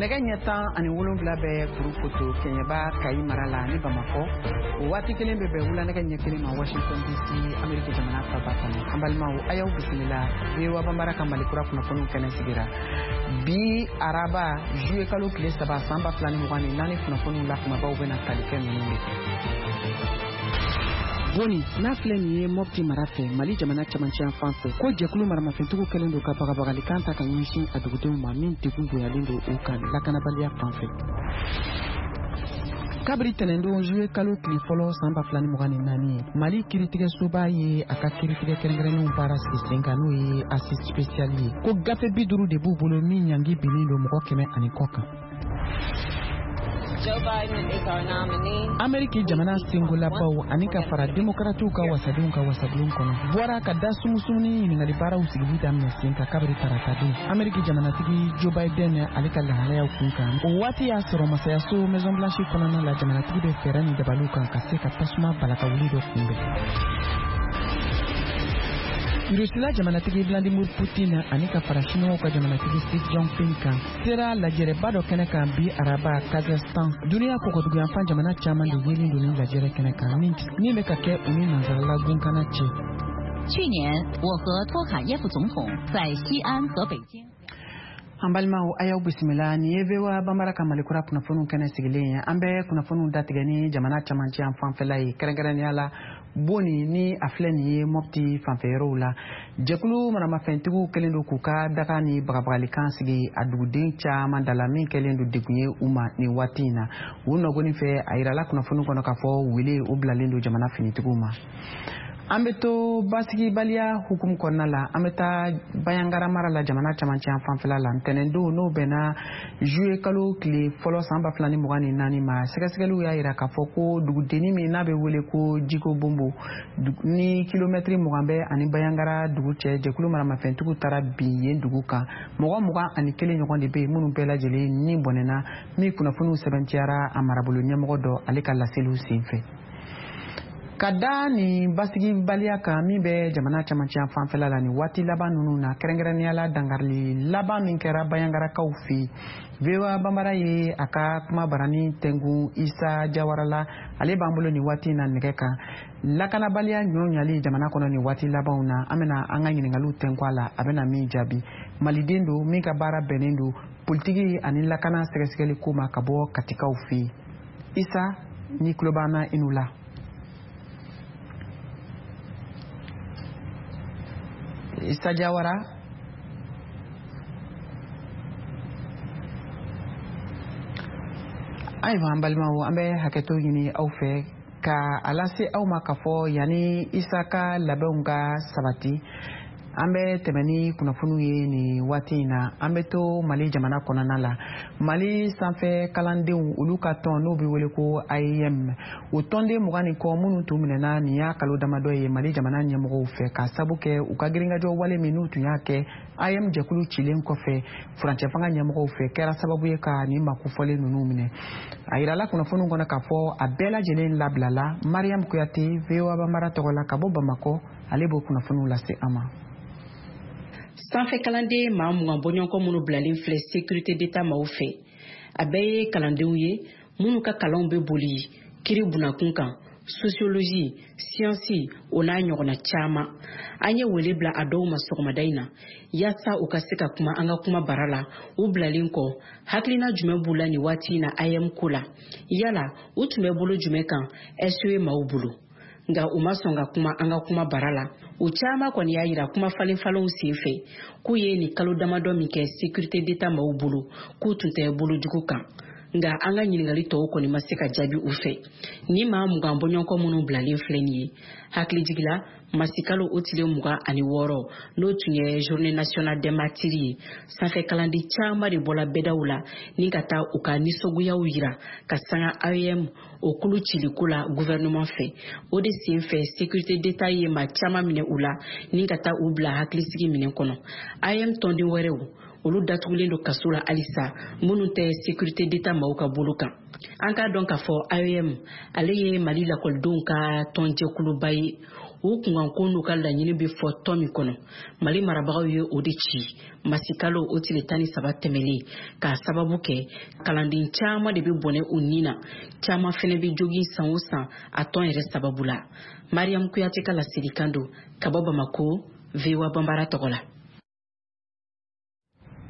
Nɛgɛ ɲɛ 17 bɛ Kurukoto Kɛɲɛba Kayi mara la ni Bamakɔ. O waati kelen bɛ bɛn wula nɛgɛ ɲɛ 1 ma Washington DC, Ameriki jamana faba kɔnɔ. An balimaw, a y'aw bisimila VOA Banbara ka Mali kura kunnafoniw kɛnɛ sigira. Bi araba juillet kalo tile 3 san 2024 kunnafoniw la kumabaw bɛna tali kɛ ninnu de kan. Boni n'a filɛ nin ye Mopti mara fɛ Mali jamana cɛmancɛ fan fɛ, ko jɛkulu maramafɛntigiw kɛlen don ka bagabagalikan ta ka ɲɛsin a dugudenw ma min degun bonyalen don u kan lakanabaliya fan fɛ. Kabiri tɛnɛndon juillet kalo tile fɔlɔ san 2024 ye, Mali kiritigɛsoba ye a ka kiritigɛ kɛrɛnkɛrɛnnenw baara sigi sen kan, n'o ye assise spéciale ye, ko gafe 50 de b'u bolo min ɲangi binnen don mɔgɔ 100 ani kɔ kan. Ameriki jamana sengolabaw ani ka fara demokratiw ka wasadenw ka wasabulon kɔnɔ bɔra ka da sumusumuni ɲininkali baaraw sigili daminɛ sen kan kabiri taratadon Ameriki jamanatigi Joe Biden ale ka lahalayaw kun kan. O waati y'a sɔrɔ masayaso Maison Blanche kɔnɔna la, jamanatigi bɛ fɛɛrɛ ni dabaliw kan ka se ka tasuma balakawuli dɔ kunbɛn. Rusila jamanatigi Vladimir Putin ani ka fara Siniwaw ka jamanatigi Xi Jinping kan sera lajɛrɛba dɔ kɛnɛ kan bi araba Kazakhstan. Duniya kɔkɔduguyanfan jamana caman de yelen don nin lajɛrɛ kɛnɛ kan min bɛ ka kɛ u ni nansarala gunkana cɛ. 去年，我和托卡耶夫总统在西安和北京。 An balimaw, a y'aw bisimila. Nin ye VOA Banbara ka Malikura kunnafoniw kɛnɛ sigilen ye. An bɛ kunnafoniw datigɛ ni jamana camancɛ yan fanfɛla ye, kɛrɛnkɛrɛnnenya la Boni ni a filɛ nin ye Mopti fanfɛyɔrɔw la. Jɛkulu maramafɛntigiw kɛlen don k'u ka daga ni bagabagalikan sigi a duguden caman da la, min kɛlen don degun ye u ma nin waati in na. U nɔgɔni fɛ, a yirala kunnafoni kɔnɔ k'a fɔ wele o bilalen don jamana finitigiw ma. An bɛ to basigibaliya hukumu kɔnɔna la, an bɛ taa Bayangara mara la, jamana camancɛ yan fanfɛla la. Ntɛnɛndon, n'o bɛnna juillet kalo tile fɔlɔ san 2024 ma, sɛgɛsɛgɛliw y'a yira k'a fɔ ko dugudenni min n'a bɛ wele ko Jiko Bonbo ni kilomɛtiri 20 bɛ ani Bayangara dugu cɛ, jɛkulu maramafɛntigiw taara bin yen dugu kan. Mɔgɔ 21 ɲɔgɔn de bɛ yen minnu bɛɛ lajɛlen ni bɔnɛna, min kunnafoniw sɛbɛntiyara a marabolo ɲɛmɔgɔ dɔ ale ka laseliw senfɛ. Ka da nin basigibaliya kan min bɛ jamana camancɛ fanfɛla la nin waati laban ninnu na, kɛrɛnkɛrɛnnenya la dankarili laban min kɛra Bayangarakaw fɛ yen, VOA Banbara ye a ka kuma barani tɛnkun Isa Jawara la. Ale b'an bolo nin waati in na nɛgɛ kan. Lakanabaliya ɲɔ ɲali jamana kɔnɔ nin waati labanw na, an bɛna an ka ɲininkaliw tɛnku a la, a bɛna min jaabi. Maliden don min ka baara bɛnnen don politiki ani lakana sɛgɛsɛgɛli ko ma ka bɔ Katikaw fɛ yen. Isa, ni tulo b'an na, i n'u la. Isa Jawara, ayiwa an balimaw, an bɛ hakɛto ɲini aw fɛ ka a lase aw ma k'a fɔ yanni Isa ka labɛnw ka sabati, an bɛ tɛmɛ ni kunnafoniw ye nin waati in na. An bɛ to Mali jamana kɔnɔna la. Mali sanfɛ kalandenw olu ka tɔn n'o bɛ wele ko AEM, o tɔnden 20 ni kɔ minnu tun minɛna nin y'a kalo damadɔ ye Mali jamana ɲɛmɔgɔw fɛ ka sabu kɛ u ka girinkajɔ wale min n'u tun y'a kɛ AEM jɛkulu cilen kɔfɛ furancɛ fanga ɲɛmɔgɔw fɛ, kɛra sababu ye ka nin makofɔlen ninnu minɛ. A yirala kunnafoniw kɔnɔ k'a fɔ a bɛɛ lajɛlen labilala. Mariam Kuyate, VOA Banbara tɔgɔ la ka bɔ Bamakɔ, ale b'o kunnafoniw lase an ma. Sanfɛ kalanden maa 20 bɔɲɔgɔnkɔ minnu bilalen filɛ sécurité d'État maaw fɛ, a bɛɛ ye kalandenw ye minnu ka kalanw bɛ boli kiri bunakun kan, sociologie, science, o n'a ɲɔgɔnna caman. An ye wele bila a dɔw ma sɔgɔmada in na yaasa u ka se ka kuma an ka kuma bara la. U bilalen kɔ, hakilina jumɛn b'u la nin waati in na AEM ko la? Yala u tun bɛ bolo jumɛn kan SE maaw bolo? Nka u ma sɔn ka kuma an ka kuma bara la. U caman kɔni y'a yira kuma falen falenw sen fɛ k'u ye nin kalo damadɔ min kɛ sécurité d'État maaw bolo, k'u tun tɛ bolo jugu kan. Nka an ka ɲininkali tɔw kɔni ma se ka jaabi u fɛ. Ni maa 20 bɔɲɔgɔnkɔ minnu bilalen filɛ nin ye, hakilijigila masikalo o tile 26, n'o tun ye journée nationale des martyrs ye, sanfɛ kalanden caman de bɔla bɛdaw la ni ka taa u ka nisɔngoyaw yira ka sanga AEM o kulu ciliko la gouvernement fɛ. O de sen fɛ, sécurité d'État ye maa caman minɛ u la ni ka taa u bila hakilisigi minɛn kɔnɔ. AEM tɔnden wɛrɛw, olu datugulen don kaso la halisa, minnu tɛ sécurité d'État maaw ka bolo kan. An k'a dɔn k'a fɔ AEM ale ye Mali lakɔlidenw ka tɔnjɛkuluba ye. U kunkanko n'u ka laɲini bɛ fɔ tɔn min kɔnɔ, Mali marabagaw ye o de ci masikalo o tile 13 tɛmɛlen, k'a sababu kɛ kalanden caman de bɛ bɔnɛ u ni na, caman fɛnɛ bɛ jogin san o san a tɔn yɛrɛ sababu la. Mariam Kuyate ka laselikan don ka bɔ Bamako, VOA Banbara tɔgɔ la.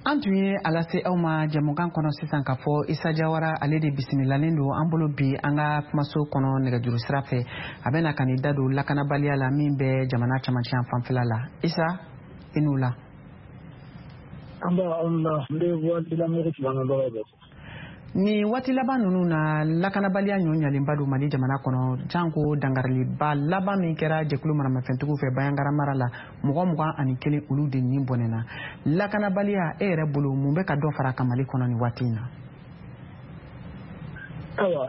An tun ye a lase aw ma jɛmukan kɔnɔ sisan k'a fɔ Isa Jawara, ale de bisimilalen don an bolo bi an ka kumaso kɔnɔ nɛgɛjuru sira fɛ. A bɛna ka nin da don lakanabaliya la min bɛ jamana camancɛ fanfɛla la. Isa, i n'u la. An b'a aw la, n bɛ Voix de l'Amérique lamɛnbagaw bɛɛ fo. Nin waati laban ninnu na, lakanabaliya ɲɔ ɲalenba don Mali jamana kɔnɔ, janko dangariliba laban min kɛra jɛkulu maramafɛntigiw fɛ Bayangara mara la, mɔgɔ 21, olu de nin bɔnɛna. Lakanabaliya, e yɛrɛ bolo, mun bɛ ka dɔ fara kan Mali kɔnɔ nin waati in na? Ayiwa,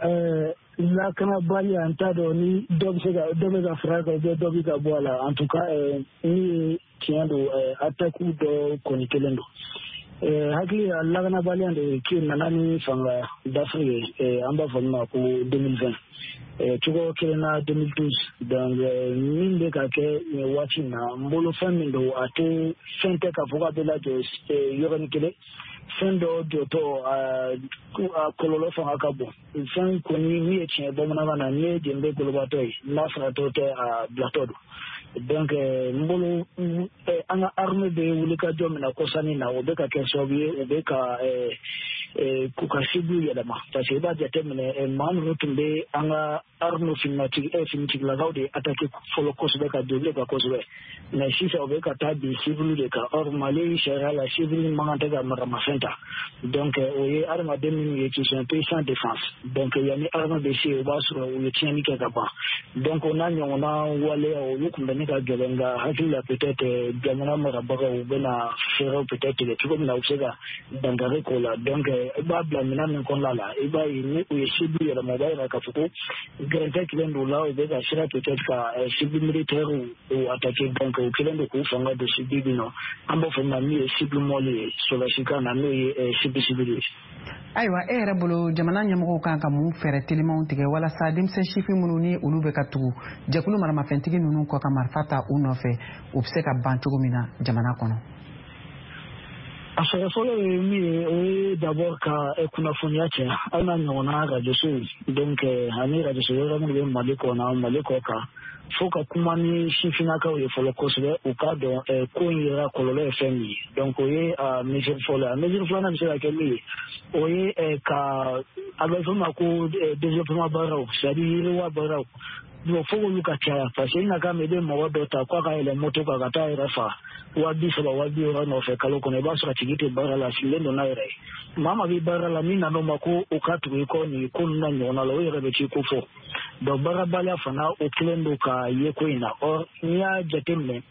lakanabaliya, n t'a dɔn ni dɔ bɛ se ka dɔ bɛ ka fara kan, dɔ bɛ ka bɔ a la. En tout cas, ni ye tiɲɛ don, attaque dɔ kɔni kelen don. Hakili la, lakanabaliya de ki nana ni fanga dafiri ye, an b'a fɔ min ma ko 2020, cogo kelen na 2012. Donc min bɛ ka kɛ nin waati in na, n bolo fɛn min don, a tɛ fɛn tɛ k'a fɔ k'a bɛ lajɔ yɔrɔnin kelen. Fɛn dɔ jɔtɔ, a kɔlɔlɔ fanga ka bon. Fɛn kɔni min ye tiɲɛ bamanankan na, n'i ye jenbe golobatɔ ye, n'a faratɔ tɛ, a bilatɔ don. Donc n bolo, an ka armée bɛ wulikajɔ min na kɔsannin na, o bɛ ka kɛ sababu ye u bɛ ka k'u ka cible yɛlɛma, parce que i b'a jateminɛ, maa ninnu tun bɛ an ka armée finitigilakaw de attaqué fɔlɔ kosɛbɛ, ka don kan kosɛbɛ, mais sisan u bɛ ka taa bin civil de kan. Or Mali sariya la, civil man kan tɛ ka maramafɛn ta. Donc o ye adamaden minnu ye qui sont un peu sans défense. Donc yanni armée bɛ se, o b'a sɔrɔ u ye tiɲɛni kɛ ka ban. Donc o n'a ɲɔgɔnna waleya, olu kun bɛ ne ka gɛlɛn, nka hakili la, peut-être jamana marabagaw bɛna fɛɛrɛw peut-être tigɛ cogo min na u bɛ se ka dankari k'o la. Donc i b'a bila minɛn min kɔnɔna la, i b'a ye ni u ye cible yɛlɛma, o b'a yira k'a fɔ ko gɛrɛntɛ kelen don la, u bɛ ka sira peut-être ka cible militaire u attaquer. Donc u kelen don k'u fanga don cible min na, an b'a fɔ min ma min ye cible molle ye sɔrɔdasikan na, n'o ye cible civile ye. Ayiwa, e yɛrɛ bolo, jamana ɲɛmɔgɔw kan ka mun fɛɛrɛ telimanw tigɛ walasa denmisɛn sifin minnu ni olu bɛ ka tugu jɛkulu maramafɛntigi ninnu kɔ ka marifa ta u nɔfɛ, u bɛ se ka ban cogo min na jamana kɔnɔ? A fɛɛrɛ fɔlɔ ye min ye, o ye d'abord ka kunnafoniya caya, aw n'a ɲɔgɔnna rajosow, donc ani rajoso wɛrɛ minnu bɛ Mali kɔnɔ, Mali kɔ kan, fo ka kuma ni sifinnakaw ye fɔlɔ kosɛbɛ, u k'a dɔn ko in yɛrɛ kɔlɔlɔ ye fɛn min ye. Donc o ye a mesure fɔlɔ ye. A mesure filanan bɛ se ka kɛ min ye, o ye ka a bɛ fɔ ma ko développement baaraw, c'est à dire yiriwa baaraw. Bon, fo k'olu ka caya, parce que i na kan i bɛ mɔgɔ dɔ ta k'a ka yɛlɛ moto kan ka taa yɛrɛ fa 30 000, 60 000 nɔfɛ kalo kɔnɔ, i b'a sɔrɔ a tigi tɛ baara la, a sigilen don n'a yɛrɛ ye. Maa maa bɛ baara la, min nan'o ma ko o ka tugu i kɔ nin ko ninnu na ɲɔgɔnna la, o yɛrɛ bɛ t'i ko fɔ. Donc baarabaliya fana, o kelen don ka ye ko in na. Or n'i y'a jateminɛ,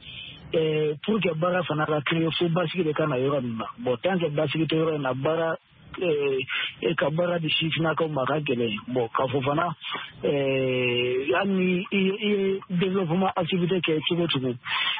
pour que baara fana ka créer, fo basigi de ka na yɔrɔ ninnu na. Bon, tant que basigi tɛ yɔrɔ in na, baara e ka baara di sifinnakaw ma ka gɛlɛn. Bon, k'a fɔ fana, hali ni i ye développement activité kɛ cogo cogo,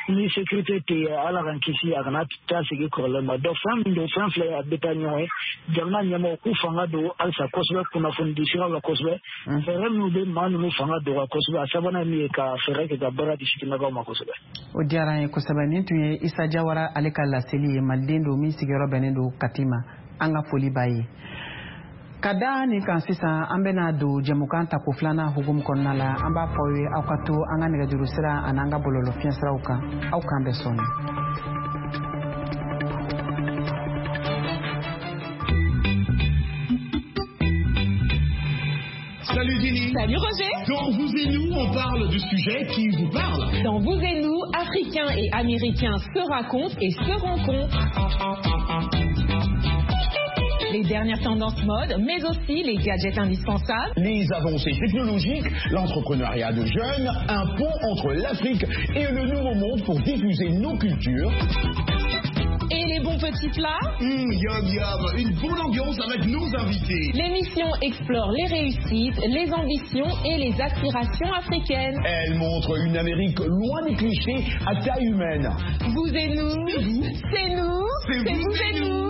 ni sécurité tɛ yen, Ala k'an kisi, a kana taa sigi kɔrɔlen ma. Donc fɛn min don, fɛn filɛ, a bɛ taa ɲɔgɔn ye. Jamana ɲɛmɔgɔw k'u fanga don halisa kosɛbɛ kunnafoni di siraw la kosɛbɛ, fɛɛrɛ minnu bɛ maa ninnu fanga dɔgɔya kosɛbɛ. A sabanan ye min ye, ka fɛɛrɛ kɛ ka baara di sifinnakaw ma kosɛbɛ. O diyara an ye kosɛbɛ. Nin tun ye Isa Jawara ale ka laseli ye, maliden don min sigiyɔrɔ bɛnnen don Kati ma. An ka foli b'a ye. Ka da nin kan sisan, an bɛna don jɛmukan tako filanan hukumu kɔnɔna la. An b'a fɔ aw ye, aw ka to an ka nɛgɛjuru sira ani an ka bɔlɔlɔ fiɲɛsiraw kan. Aw k'an bɛn sɔɔni. Salut Zélie. Salut Roger. Dans Vous et nous, on parle de sujets qui vous parlent. Dans Vous et nous, Africains et Américains se racontent et se rencontrent. Les dernières tendances mode, mais aussi les gadgets indispensables. Les avancées technologiques, l'entrepreneuriat de jeunes, un pont entre l'Afrique et le Nouveau Monde pour diffuser nos cultures. Et les bons petits plats. Mmh, yum yum, une bonne ambiance avec nos invités. L'émission explore les réussites, les ambitions et les aspirations africaines. Elle montre une Amérique loin des clichés, à taille humaine. Vous et nous, C'est vous, c'est nous, c'est vous et nous.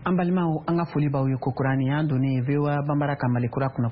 An balimaw, an ka foli b'aw ye kokura. Nin y'an donnen ye VOA Banbara ka Malikura kunnafoni.